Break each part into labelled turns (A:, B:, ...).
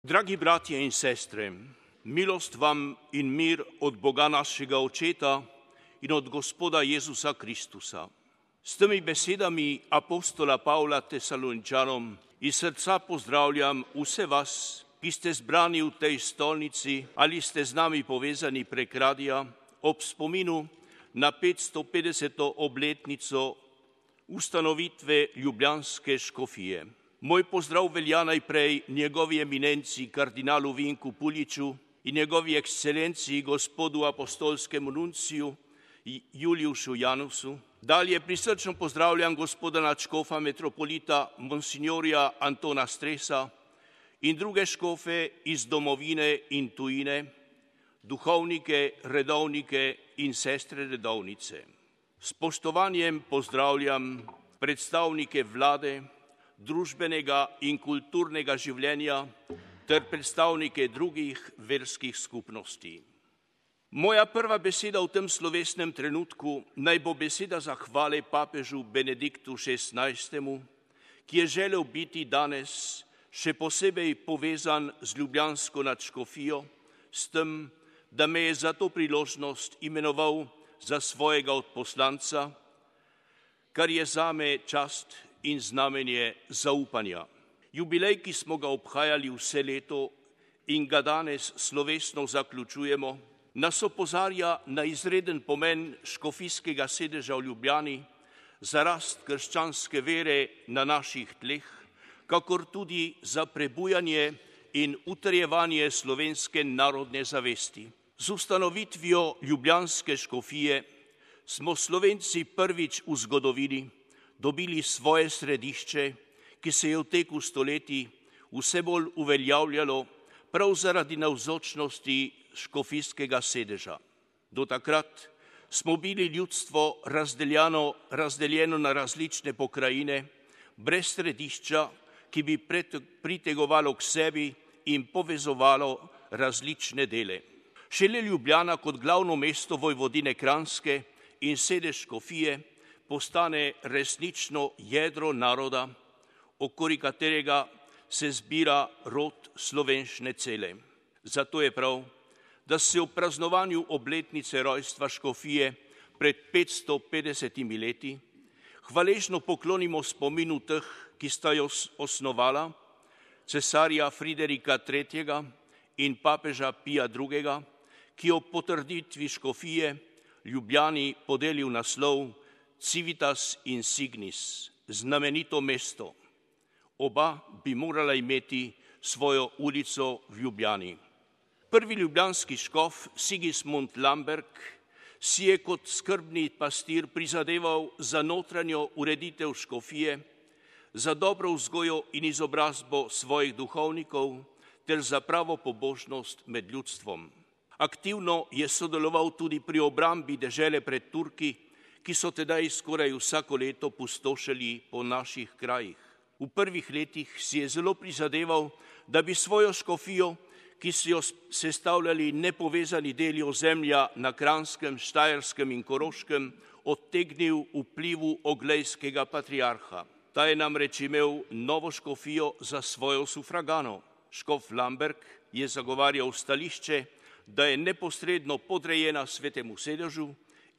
A: Dragi bratje in sestre, milost vam in mir od Boga našega Očeta in od Gospoda Jezusa Kristusa. S temi besedami apostola Pavla Tesaloničanom iz srca pozdravljam vse vas, ki ste zbrani v tej stolnici ali ste z nami povezani prek radia ob spominu na 550. obletnico ustanovitve ljubljanske škofije. Moj pozdrav velja najprej njegovi eminenci kardinalu Vinku Puljiču in njegovi ekscelenciji gospodu apostolskemu nunciju Juliušu Janusu. Dalje prisrčno pozdravljam gospoda nadškofa metropolita monsignorja Antona Stresa in druge škofe iz domovine in tujine, duhovnike, redovnike in sestre redovnice. S spoštovanjem pozdravljam predstavnike vlade, družbenega in kulturnega življenja ter predstavnike drugih verskih skupnosti. Moja prva beseda v tem slovesnem trenutku naj bo beseda zahvale papežu Benediktu XVI., ki je želel biti danes še posebej povezan z ljubljansko nadškofijo, s tem, da me je za to priložnost imenoval za svojega odposlanca, kar je zame čast in znamenje zaupanja. Jubilej, ki smo ga obhajali vse leto in ga danes slovesno zaključujemo, nas opozarja na izreden pomen škofijskega sedeža v Ljubljani za rast krščanske vere na naših tleh, kakor tudi za prebujanje in utrjevanje slovenske narodne zavesti. Z ustanovitvijo ljubljanske škofije smo Slovenci prvič v zgodovini dobili svoje središče, ki se je v teku stoletij vse bolj uveljavljalo prav zaradi navzočnosti škofijskega sedeža. Do takrat smo bili ljudstvo razdeljeno na različne pokrajine, brez središča, ki bi pritegovalo k sebi in povezovalo različne dele. Šele Ljubljana kot glavno mesto Vojvodine Kranjske in sedež škofije postane resnično jedro naroda, okoli katerega se zbira rod slovenščine cele. Zato je prav, da se v praznovanju obletnice rojstva škofije pred 550 leti hvaležno poklonimo spominu teh, ki sta jo osnovala, cesarja Friderika III. In papeža Pija II., ki ob potrditvi škofije Ljubljani podelil naslov Civitas Insignis, znamenito mesto. Oba bi morala imeti svojo ulico v Ljubljani. Prvi ljubljanski škof Sigismund Lamberg si je kot skrbni pastir prizadeval za notranjo ureditev škofije, za dobro vzgojo in izobrazbo svojih duhovnikov ter za pravo pobožnost med ljudstvom. Aktivno je sodeloval tudi pri obrambi dežele pred Turki, ki so tedaj skoraj vsako leto pustošili po naših krajih. V prvih letih si je zelo prizadeval, da bi svojo škofijo, ki so jo sestavljali nepovezani deli ozemlja na Kranjskem, Štajerskem in Koroškem, odtegnil vplivu oglejskega patriarha. Ta je namreč imel novo škofijo za svojo sufragano. Škof Lamberg je zagovarjal stališče, da je neposredno podrejena svetemu sedežu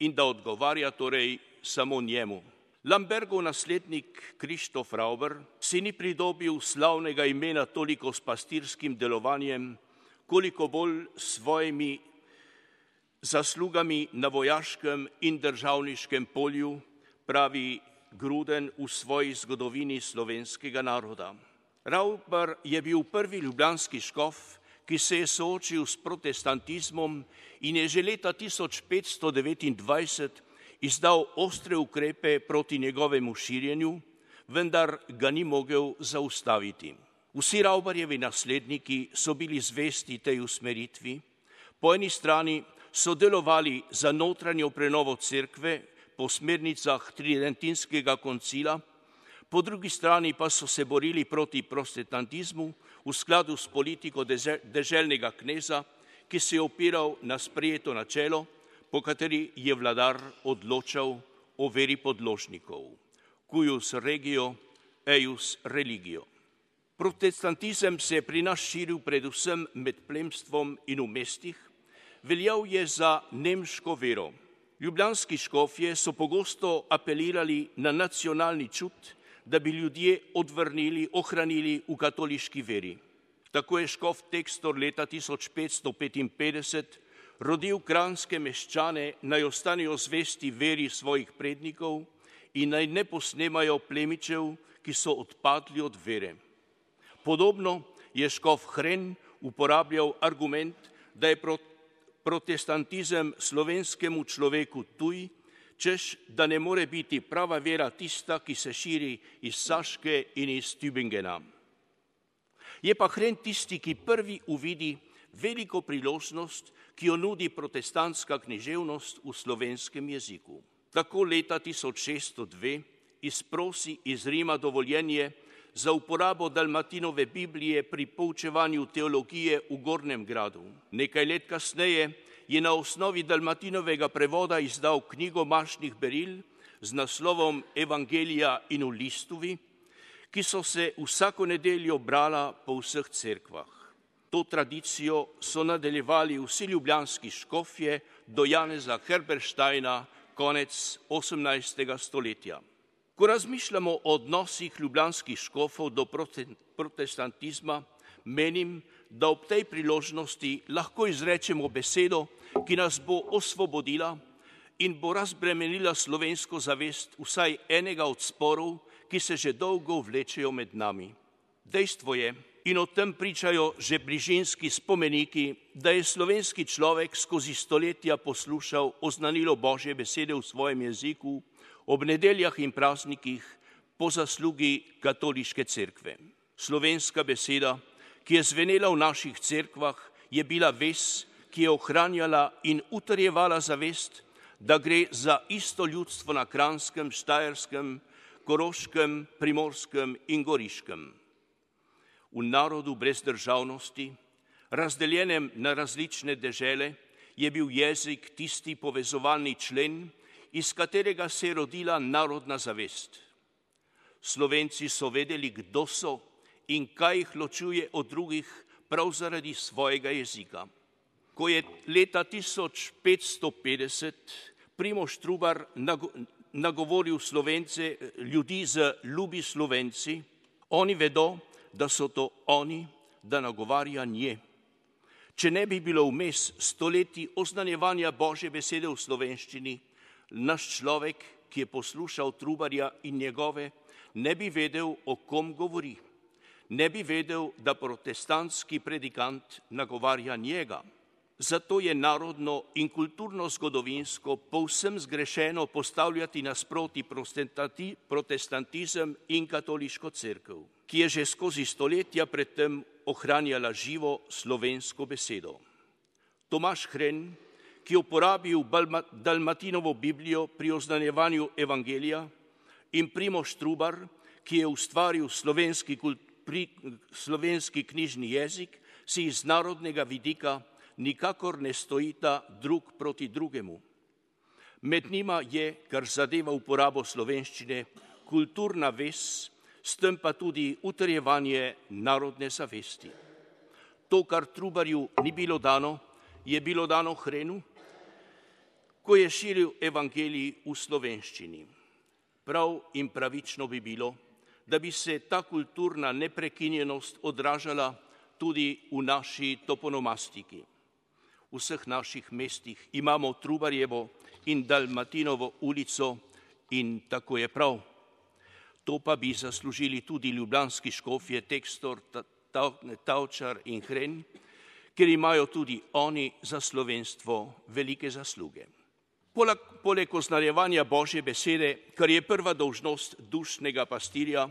A: in da odgovarja torej samo njemu. Lambergov naslednik Krištof Rauber si ni pridobil slavnega imena toliko s pastirskim delovanjem, koliko bolj svojimi zaslugami na vojaškem in državniškem polju, pravi Gruden v svoji zgodovini slovenskega naroda. Rauber je bil prvi ljubljanski škof, ki se je soočil s protestantizmom in je že leta 1529 izdal ostre ukrepe proti njegovemu širjenju, vendar ga ni mogel zaustaviti. Vsi Rauberjevi nasledniki so bili zvesti tej usmeritvi. Po eni strani so delovali za notranjo prenovo cerkve po smernicah Tridentinskega koncila, po drugi strani pa so se borili proti protestantizmu v skladu s politiko deželnega kneza, ki se je opiral na sprejeto načelo, po kateri je vladar odločal o veri podložnikov. Cuius regio, eius religio. Protestantizem se je pri nas širil predvsem med plemstvom in v mestih, veljal je za nemško vero. Ljubljanski škofje so pogosto apelirali na nacionalni čut, da bi ljudje ohranili v katoliški veri. Tako je škof Tekstor leta 1555 rodil kranjske meščane, naj ostanejo zvesti veri svojih prednikov in naj ne posnemajo plemičev, ki so odpadli od vere. Podobno je škof Hren uporabljal argument, da je protestantizem slovenskemu človeku tuj, češ, da ne more biti prava vera tista, ki se širi iz Saške in iz Tübingena. Je pa Hren tisti, ki prvi uvidi veliko priložnost, ki jo nudi protestantska književnost v slovenskem jeziku. Tako leta 1602 izprosi iz Rima dovoljenje za uporabo Dalmatinove Biblije pri poučevanju teologije v Gornjem Gradu. Nekaj let kasneje je na osnovi Dalmatinovega prevoda izdal knjigo mašnih beril z naslovom Evangelija in v listovi, ki so se vsako nedeljo brala po vseh cerkvah. To tradicijo so nadaljevali vsi ljubljanski škofje do Janeza Herbersteina konec 18. stoletja. Ko razmišljamo o odnosih ljubljanskih škofov do protestantizma, menim, da ob tej priložnosti lahko izrečemo besedo, ki nas bo osvobodila in bo razbremenila slovensko zavest vsaj enega od sporov, ki se že dolgo vlečejo med nami. Dejstvo je, in o tem pričajo že bližinski spomeniki, da je slovenski človek skozi stoletja poslušal oznanilo Božje besede v svojem jeziku ob nedeljah in praznikih po zaslugi katoliške cerkve. Slovenska beseda, ki je zvenela v naših cerkvah, je bila vez, ki je ohranjala in utrjevala zavest, da gre za isto ljudstvo na Kranjskem, Štajerskem, Koroškem, Primorskem in Goriškem. V narodu brez državnosti, razdeljenem na različne dežele, je bil jezik tisti povezovalni člen, iz katerega se je rodila narodna zavest. Slovenci so vedeli, kdo so in kaj jih ločuje od drugih prav zaradi svojega jezika. Ko je leta 1550 Primož Trubar nagovoril Slovence, ljudi z ljubi Slovenci, oni vedo, da so to oni, da nagovarja nje. Če ne bi bilo vmes stoletij oznanjevanja Božje besede v slovenščini, naš človek, ki je poslušal Trubarja in njegove, ne bi vedel, o kom govori. Ne bi vedel, da protestantski predikant nagovarja njega. Zato je narodno in kulturno-zgodovinsko povsem zgrešeno postavljati nasproti protestantizem in katoliško cerkev, ki je že skozi stoletja predtem ohranjala živo slovensko besedo. Tomaž Hren, ki je uporabil Dalmatinovo Biblijo pri oznanjevanju Evangelija, in Primož Trubar, ki je ustvaril slovenski knjižni jezik, si iz narodnega vidika nikakor ne stojita drug proti drugemu. Med njima je, kar zadeva uporabo slovenščine, kulturna vez, s tem pa tudi utrjevanje narodne zavesti. To, kar Trubarju ni bilo dano, je bilo dano Hrenu, ko je širil evangelij v slovenščini. Prav in pravično bi bilo, da bi se ta kulturna neprekinjenost odražala tudi v naši toponomastiki. V vseh naših mestih imamo Trubarjevo in Dalmatinovo ulico in tako je prav. To pa bi zaslužili tudi ljubljanski škofje Tekstor, Tavčar in Hren, ker imajo tudi oni za slovenstvo velike zasluge. Poleg oznanjevanja Božje besede, kar je prva dolžnost dušnega pastirja,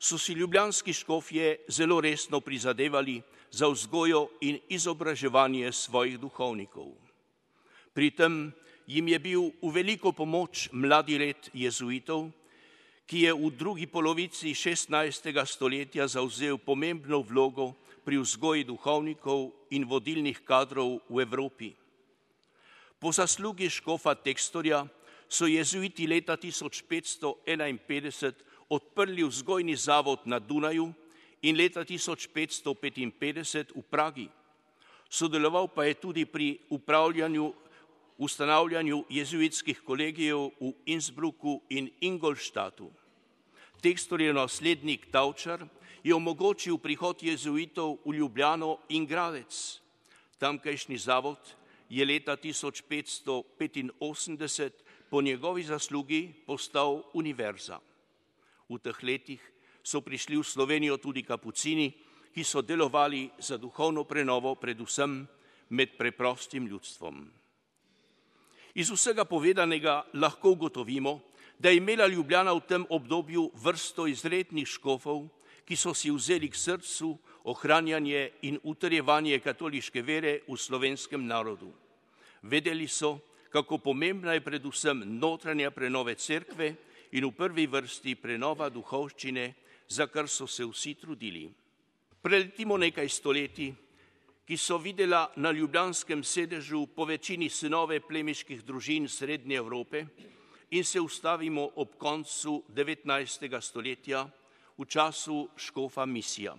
A: so si ljubljanski škofje zelo resno prizadevali za vzgojo in izobraževanje svojih duhovnikov. Pri tem jim je bil v veliko pomoč mladi red jezuitov, ki je v drugi polovici 16. stoletja zavzel pomembno vlogo pri vzgoji duhovnikov in vodilnih kadrov v Evropi. Po zaslugi škofa Tekstorja so jezuiti leta 1551 odprli vzgojni zavod na Dunaju in leta 1555 v Pragi. Sodeloval pa je tudi pri ustanavljanju jezuitskih kolegijev v Innsbrucku in Ingolstadtu. Tekstorjev naslednik Tavčar je omogočil prihod jezuitov v Ljubljano in Gradec. Tamkajšnji zavod je leta 1585 po njegovi zaslugi postal univerza. V teh letih so prišli v Slovenijo tudi kapucini, ki so delovali za duhovno prenovo predvsem med preprostim ljudstvom. Iz vsega povedanega lahko ugotovimo, da je imela Ljubljana v tem obdobju vrsto izrednih škofov, ki so si vzeli k srcu ohranjanje in utrjevanje katoliške vere v slovenskem narodu. Vedeli so, kako pomembna je predvsem notranja prenove cerkve in v prvi vrsti prenova duhovščine, za kar so se vsi trudili. Preletimo nekaj stoletij, ki so videla na ljubljanskem sedežu po večini sinove plemiških družin Srednje Evrope in se ustavimo ob koncu 19. stoletja v času škofa Misija.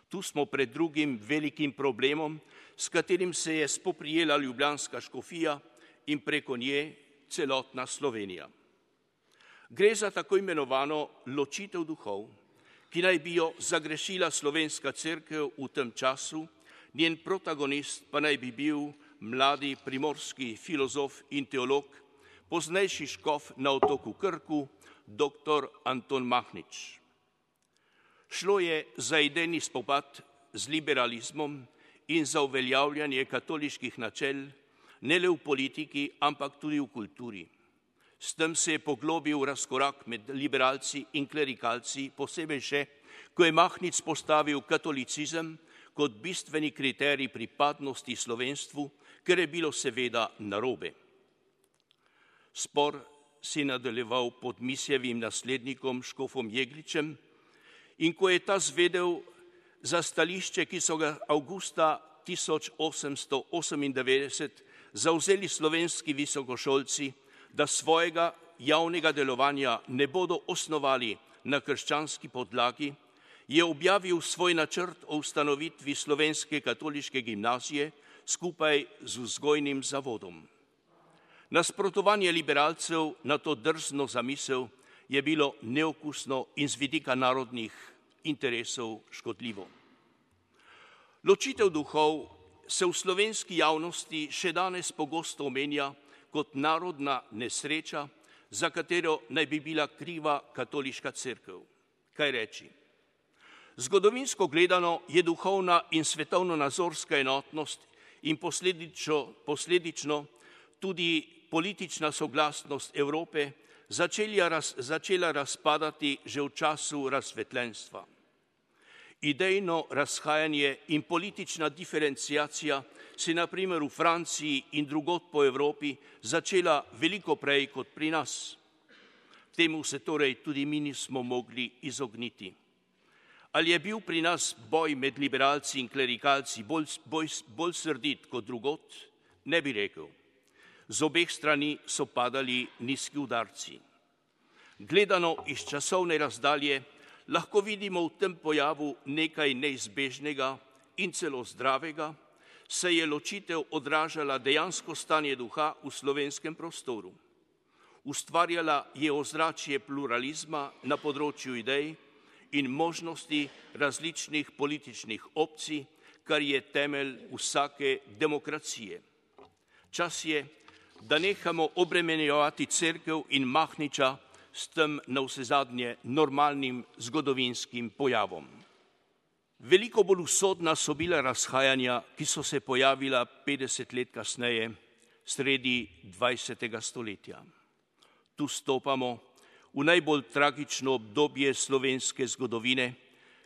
A: Tu smo pred drugim velikim problemom, s katerim se je spoprijela ljubljanska škofija in preko nje celotna Slovenija. Gre za tako imenovano ločitev duhov, ki naj bi jo zagrešila slovenska cerkev v tem času, njen protagonist pa naj bi bil mladi primorski filozof in teolog, poznejši škof na otoku Krku, dr. Anton Mahnič. Šlo je za idejni spopad z liberalizmom in za uveljavljanje katoliških načel, ne le v politiki, ampak tudi v kulturi. S tem se je poglobil razkorak med liberalci in klerikalci, posebej še, ko je Mahnič postavil katolicizem kot bistveni kriterij pripadnosti slovenstvu, ker je bilo seveda narobe. Spor si nadaljeval pod Misijevim naslednikom škofom Jegličem in ko je ta zvedel za stališče, ki so ga avgusta 1898 zavzeli slovenski visokošolci, da svojega javnega delovanja ne bodo osnovali na krščanski podlagi, je objavil svoj načrt o ustanovitvi slovenske katoliške gimnazije skupaj z vzgojnim zavodom. Nasprotovanje liberalcev na to drzno zamisel je bilo neokusno in z vidika narodnih interesov škodljivo. Ločitev duhov se v slovenski javnosti še danes pogosto omenja kot narodna nesreča, za katero naj bi bila kriva katoliška cerkev. Kaj reči? Zgodovinsko gledano je duhovna in svetovno-nazorska enotnost in posledično tudi politična soglasnost Evrope začela razpadati že v času razsvetljenstva. Idejno razhajanje in politična diferenciacija se na primer v Franciji in drugod po Evropi začela veliko prej kot pri nas. Temu se torej tudi mi nismo mogli izogniti. Ali je bil pri nas boj med liberalci in klerikalci bolj srdit kot drugod? Ne bi rekel. Z obeh strani so padali nizki udarci. Gledano iz časovne razdalje lahko vidimo v tem pojavu nekaj neizbežnega in celo zdravega, saj je ločitev odražala dejansko stanje duha v slovenskem prostoru. Ustvarjala je ozračje pluralizma na področju idej in možnosti različnih političnih opcij, kar je temelj vsake demokracije. Čas je, da nehamo obremenjevati cerkev in Mahniča s tem navsezadnje normalnim zgodovinskim pojavom. Veliko bolj usodna so bila razhajanja, ki so se pojavila 50 let kasneje, sredi 20. stoletja. Tu stopamo v najbolj tragično obdobje slovenske zgodovine,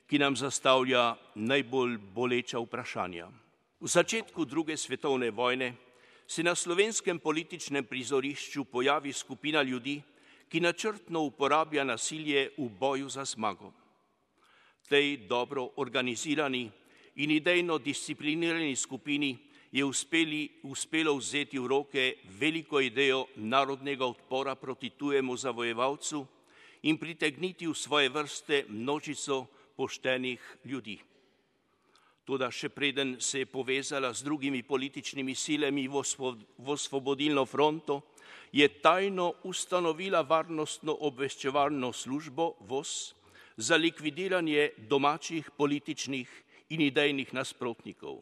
A: ki nam zastavlja najbolj boleča vprašanja. V začetku druge svetovne vojne se na slovenskem političnem prizorišču pojavi skupina ljudi, ki načrtno uporablja nasilje v boju za zmago. Tej dobro organizirani in idejno disciplinirani skupini je uspelo vzeti v roke veliko idejo narodnega odpora proti tujemu zavojevalcu in pritegniti v svoje vrste množico poštenih ljudi. Toda še preden se je povezala z drugimi političnimi silami v Osvobodilno fronto, je tajno ustanovila varnostno-obveščevalno službo VOS za likvidiranje domačih političnih in idejnih nasprotnikov.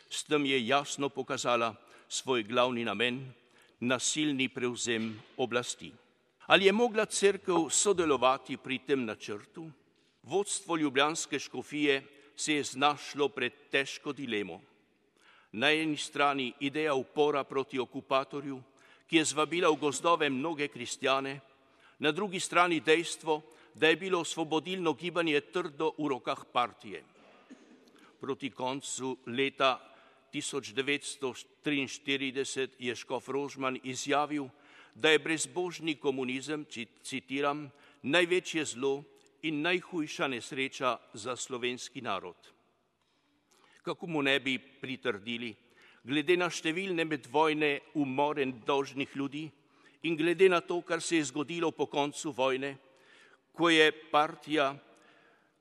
A: S tem je jasno pokazala svoj glavni namen, nasilni prevzem oblasti. Ali je mogla cerkev sodelovati pri tem načrtu? Vodstvo ljubljanske škofije se je znašlo pred težko dilemo. Na eni strani ideja upora proti okupatorju, ki je zvabila v gozdove mnoge kristjane, na drugi strani dejstvo, da je bilo osvobodilno gibanje trdo v rokah partije. Proti koncu leta 1943 je škof Rožman izjavil, da je brezbožni komunizem, citiram, največje zlo in najhujša nesreča za slovenski narod. Kako mu ne bi pritrdili, glede na številne medvojne umore nedolžnih ljudi in glede na to, kar se je zgodilo po koncu vojne, ko je partija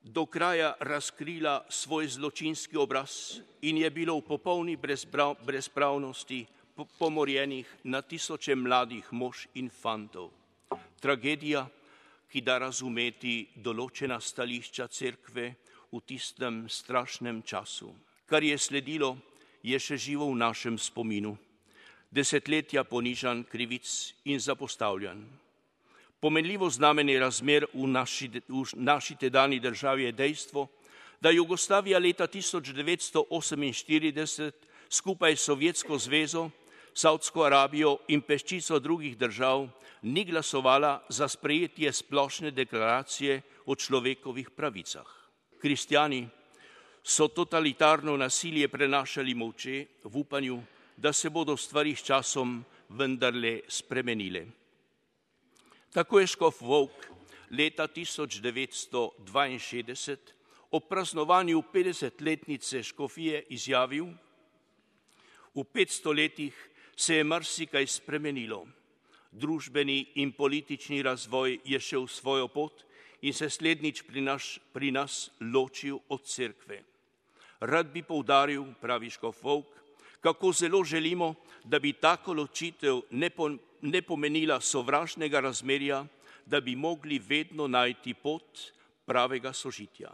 A: do kraja razkrila svoj zločinski obraz in je bilo v popolni brezpravnosti pomorjenih na tisoče mladih mož in fantov. Tragedija, ki da razumeti določena stališča cerkve v tistem strašnem času. Kar je sledilo, je še živo v našem spominu. Desetletja ponižanj, krivic in zapostavljanj. Pomenljivo znamenje razmer v naši tedanji državi je dejstvo, da Jugoslavija leta 1948 skupaj s Sovjetsko zvezo, Savdsko Arabijo in peščico drugih držav ni glasovala za sprejetje splošne deklaracije o človekovih pravicah. Kristjani so totalitarno nasilje prenašali molče v upanju, da se bodo stvari s časom vendarle spremenile. Tako je škof Volk leta 1962 ob praznovanju 50-letnice škofije izjavil: v 500 letih se je marsikaj spremenilo. Družbeni in politični razvoj je šel svojo pot in se slednjič pri nas ločil od cerkve. Rad bi poudaril, pravi škof Volk, kako zelo želimo, da bi tako ločitev ne pomenila sovražnega razmerja, da bi mogli vedno najti pot pravega sožitja.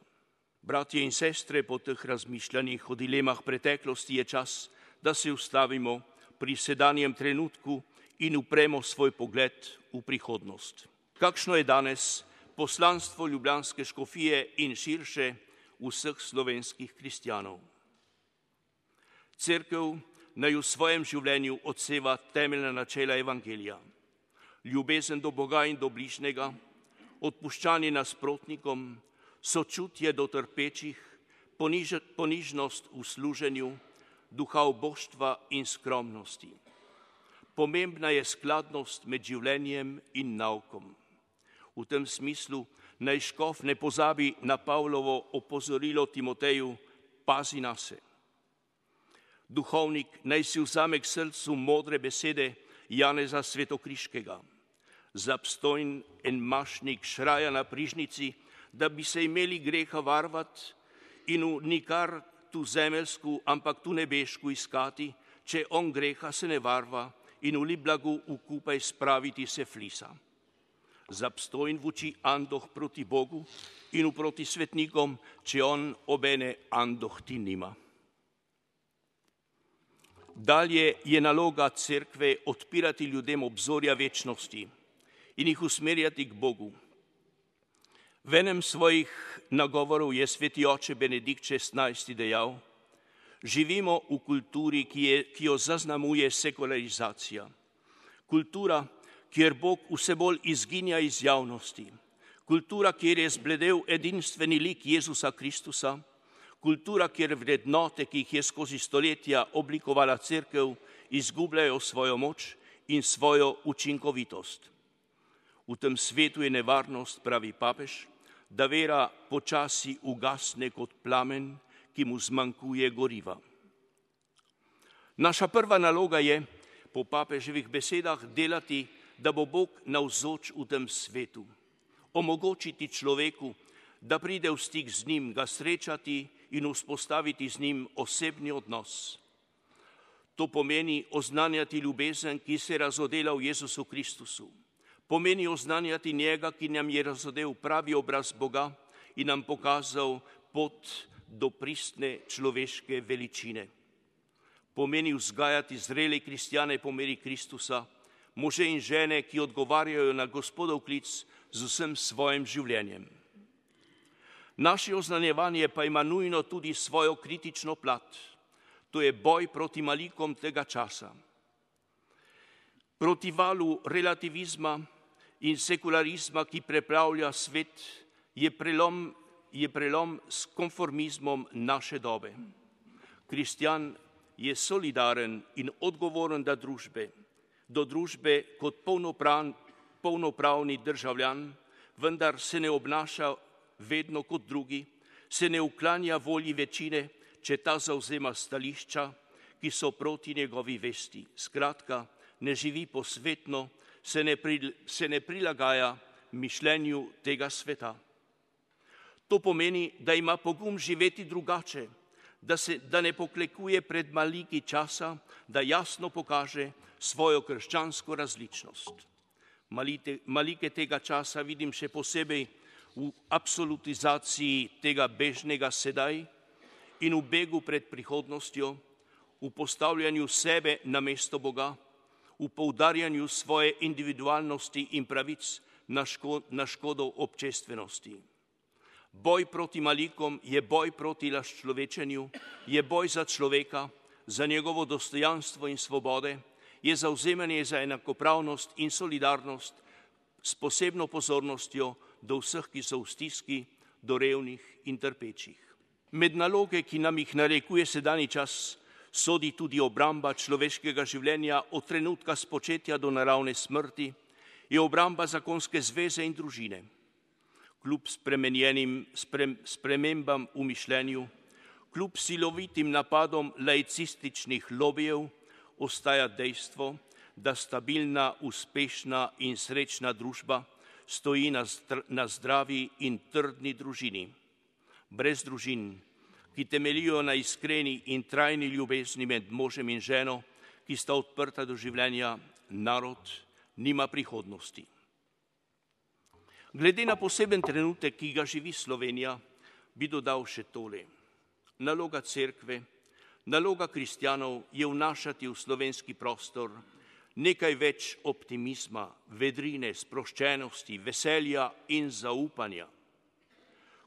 A: Bratje in sestre, po teh razmišljanjih o dilemah preteklosti je čas, da se ustavimo pri sedanjem trenutku in upremo svoj pogled v prihodnost. Kakšno je danes poslanstvo ljubljanske škofije in širše vseh slovenskih kristjanov? Cerkev naj v svojem življenju odseva temeljna načela evangelija. Ljubezen do Boga in do bližnjega, odpuščanje nasprotnikom, sočutje do trpečih, ponižnost v služenju, duha oboštva in skromnosti. Pomembna je skladnost med življenjem in naukom. V tem smislu naj škof ne pozabi na Pavlovo opozorilo Timoteju: pazi nase. Duhovnik naj si vzame k srcu modre besede Janeza Svetokriškega. Zabstojn en mašnik šraja na prižnici, da bi se imeli greha varvat in v nikar tu zemeljsku, ampak tu nebešku iskati, če on greha se ne varva in v liblagu ukupaj spraviti se flisa. Zabstojn vuči andoh proti Bogu in uproti svetnikom, če on obene andoh ti nima. Dalje je naloga cerkve odpirati ljudem obzorja večnosti in jih usmerjati k Bogu. V enem svojih nagovorov je sveti oče Benedikt XVI dejal: živimo v kulturi, ki jo zaznamuje sekularizacija. Kultura, kjer Bog vse bolj izginja iz javnosti. Kultura, kjer je zbledel edinstveni lik Jezusa Kristusa. Kultura, kjer vrednote, ki jih je skozi stoletja oblikovala cerkev, izgubljajo svojo moč in svojo učinkovitost. V tem svetu je nevarnost, pravi papež, da vera počasi ugasne kot plamen, ki mu zmanjkuje goriva. Naša prva naloga je, po papeževih besedah, delati, da bo Bog navzoč v tem svetu, omogočiti človeku, da pride v stik z njim, ga srečati in vzpostaviti z njim osebni odnos. To pomeni oznanjati ljubezen, ki se je razodela v Jezusu Kristusu. Pomeni oznanjati njega, ki nam je razodel pravi obraz Boga in nam pokazal pot do pristne človeške veličine. Pomeni vzgajati zrele kristjane po meri Kristusa, može in žene, ki odgovarjajo na Gospodov klic z vsem svojim življenjem. Naše oznanjevanje pa ima nujno tudi svojo kritično plat. To je boj proti malikom tega časa. Proti valu relativizma in sekularizma, ki preplavlja svet, je prelom s konformizmom naše dobe. Kristjan je solidaren in odgovoren do družbe kot polnopravni državljan, vendar se ne obnaša vedno kot drugi, se ne uklanja volji večine, če ta zavzema stališča, ki so proti njegovi vesti. Skratka, ne živi posvetno, se ne prilagaja mišljenju tega sveta. To pomeni, da ima pogum živeti drugače, da ne poklekuje pred maliki časa, da jasno pokaže svojo krščansko različnost. Malike tega časa vidim še posebej v absolutizaciji tega bežnega sedaj in v begu pred prihodnostjo, v postavljanju sebe na mesto Boga, v poudarjanju svoje individualnosti in pravic na škodo občestvenosti. Boj proti malikom je boj proti razčlovečenju, je boj za človeka, za njegovo dostojanstvo in svobode, je zavzemanje za enakopravnost in solidarnost s posebno pozornostjo do vseh, ki so v stiski, do revnih in trpečih. Med naloge, ki nam jih narekuje sedanji čas, sodi tudi obramba človeškega življenja od trenutka spočetja do naravne smrti, je obramba zakonske zveze in družine. Kljub spremenjenim spremembam v mišljenju, kljub silovitim napadom laicističnih lobijev, ostaja dejstvo, da stabilna, uspešna in srečna družba stoji na zdravi in trdni družini. Brez družin, ki temeljijo na iskreni in trajni ljubezni med možem in ženo, ki sta odprta do življenja, narod nima prihodnosti. Glede na poseben trenutek, ki ga živi Slovenija, bi dodal še tole. Naloga cerkve, naloga kristjanov je vnašati v slovenski prostor nekaj več optimizma, vedrine, sproščenosti, veselja in zaupanja.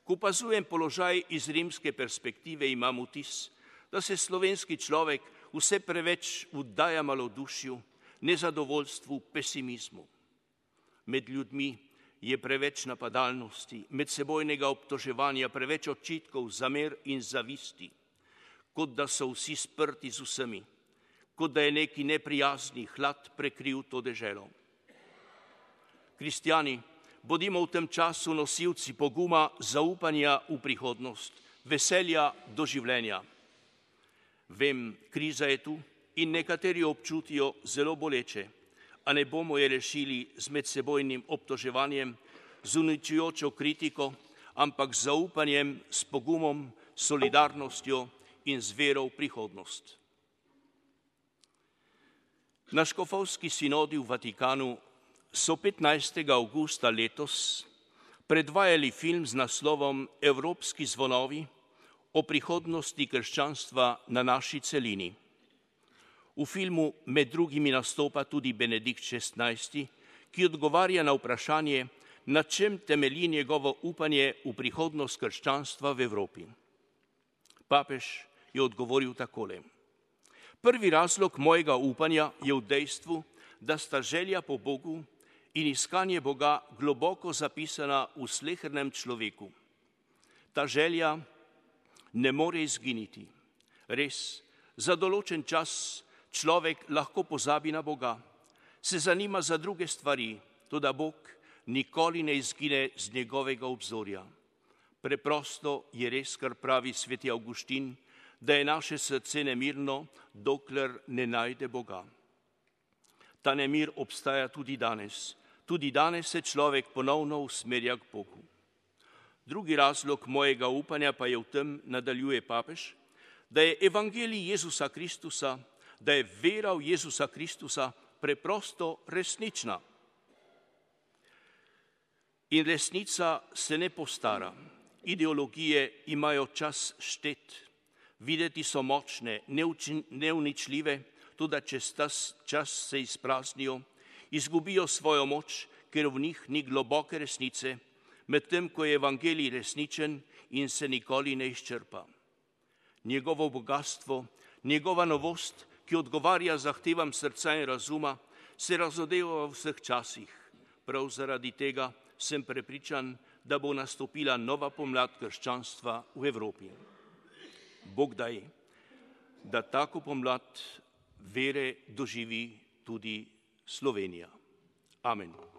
A: Ko opazujem položaj iz rimske perspektive, imam vtis, da se slovenski človek vse preveč vdaja malodušju, nezadovoljstvu, pesimizmu. Med ljudmi je preveč napadalnosti, medsebojnega obtoževanja, preveč očitkov, zamer in zavisti, kot da so vsi sprti z vsemi, kot da je neki neprijazni hlad prekril to deželo. Kristjani, bodimo v tem času nosilci poguma, zaupanja v prihodnost, veselja do življenja. Vem, kriza je tu in nekateri občutijo zelo boleče, a ne bomo je rešili z medsebojnim obtoževanjem, z uničujočo kritiko, ampak z zaupanjem, s pogumom, solidarnostjo in z vero v prihodnost. Na škofovski sinodi v Vatikanu so 15. avgusta letos predvajali film z naslovom Evropski zvonovi o prihodnosti krščanstva na naši celini. V filmu med drugimi nastopa tudi Benedikt XVI, ki odgovarja na vprašanje, na čem temelji njegovo upanje v prihodnost krščanstva v Evropi. Papež je odgovoril takole. Prvi razlog mojega upanja je v dejstvu, da sta želja po Bogu in iskanje Boga globoko zapisana v slehernem človeku. Ta želja ne more izginiti. Res, za določen čas človek lahko pozabi na Boga, se zanima za druge stvari, toda Bog nikoli ne izgine z njegovega obzorja. Preprosto je res, kar pravi sveti Avguštin, da je naše srce nemirno, dokler ne najde Boga. Ta nemir obstaja tudi danes. Tudi danes se človek ponovno usmerja k Bogu. Drugi razlog mojega upanja pa je v tem, nadaljuje papež, da je evangelij Jezusa Kristusa, da je vera v Jezusa Kristusa preprosto resnična. In resnica se ne postara. Ideologije imajo čas štet, videti so močne, neuničljive, tudi čez ta čas se izpraznijo, izgubijo svojo moč, ker v njih ni globoke resnice, medtem ko je evangelij resničen in se nikoli ne izčrpa. Njegovo bogatstvo, njegova novost, ki odgovarja zahtevam srca in razuma, se razodeva v vseh časih. Prav zaradi tega sem prepričan, da bo nastopila nova pomlad krščanstva v Evropi. Bog daj, da tako pomlad vere doživi tudi Slovenija. Amen.